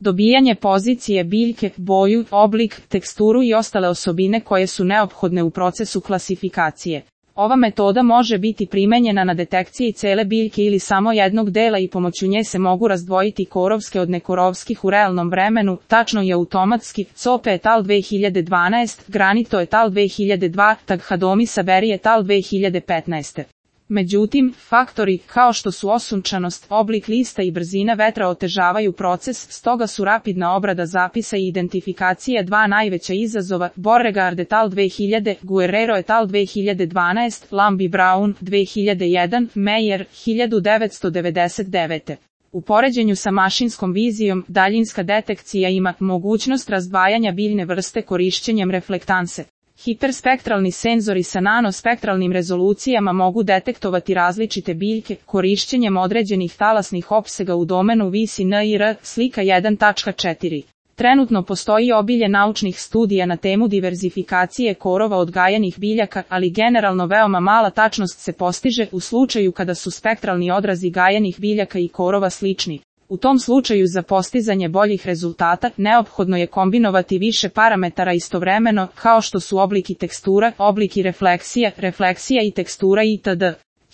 dobijanje pozicije biljke, boju, oblik, teksturu i ostale osobine koje su neophodne u procesu klasifikacije. Ova metoda može biti primenjena na detekciji cele biljke ili samo jednog dela i pomoću nje se mogu razdvojiti korovske od nekorovskih u realnom vremenu, tačno i automatski. Cope et al. 2012, Granito et al. 2002, Taghadomi Saberi et al. 2015. Međutim, faktori, kao što su osunčanost, oblik lista i brzina vetra otežavaju proces, stoga su rapidna obrada zapisa i identifikacija dva najveća izazova. Beauregard et al. 2000, Guerrero et al. 2012, Lamb i Brown, 2001, Meyer, 1999. U poređenju sa mašinskom vizijom, daljinska detekcija ima mogućnost razdvajanja biljne vrste korišćenjem reflektanse. Hiperspektralni senzori sa nanospektralnim rezolucijama mogu detektovati različite biljke korišćenjem određenih talasnih opsega u domenu VCNIR, slika 1.4. Trenutno postoji obilje naučnih studija na temu diverzifikacije korova odgajanih biljaka, ali generalno veoma mala tačnost se postiže u slučaju kada su spektralni odrazi gajanih biljaka i korova slični. U tom slučaju za postizanje boljih rezultata neophodno je kombinovati više parametara istovremeno, kao što su oblik i tekstura, oblik i refleksija i tekstura itd.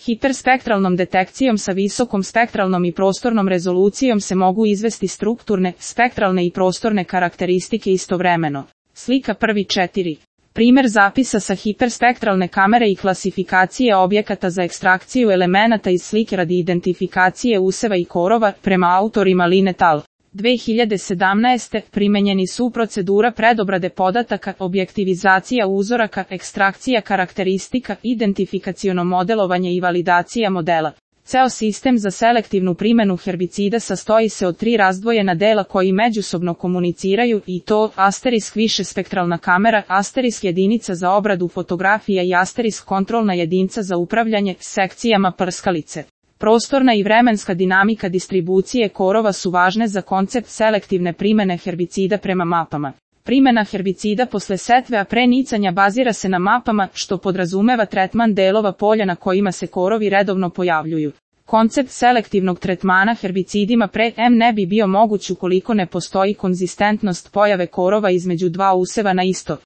Hiperspektralnom detekcijom sa visokom spektralnom i prostornom rezolucijom se mogu izvesti strukturne, spektralne i prostorne karakteristike istovremeno. Slika 1.4. Primer zapisa sa hiperspektralne kamere i klasifikacije objekata za ekstrakciju elemenata iz slike radi identifikacije useva i korova, prema autorima Lin et al. 2017. primenjeni su procedura predobrade podataka, objektivizacija uzoraka, ekstrakcija karakteristika, identifikaciono modelovanje i validacija modela. Ceo sistem za selektivnu primenu herbicida sastoji se od 3 razdvojena dela koji međusobno komuniciraju i to asterisk višespektralna kamera, asterisk jedinica za obradu fotografija i asterisk kontrolna jedinica za upravljanje sekcijama prskalice. Prostorna i vremenska dinamika distribucije korova su važne za koncept selektivne primene herbicida prema mapama. Primena herbicida posle setve a pre nicanja bazira se na mapama, što podrazumeva tretman delova polja na kojima se korovi redovno pojavljuju. Koncept selektivnog tretmana herbicidima pre ne bi bio moguć ukoliko ne postoji konzistentnost pojave korova između dva useva na isto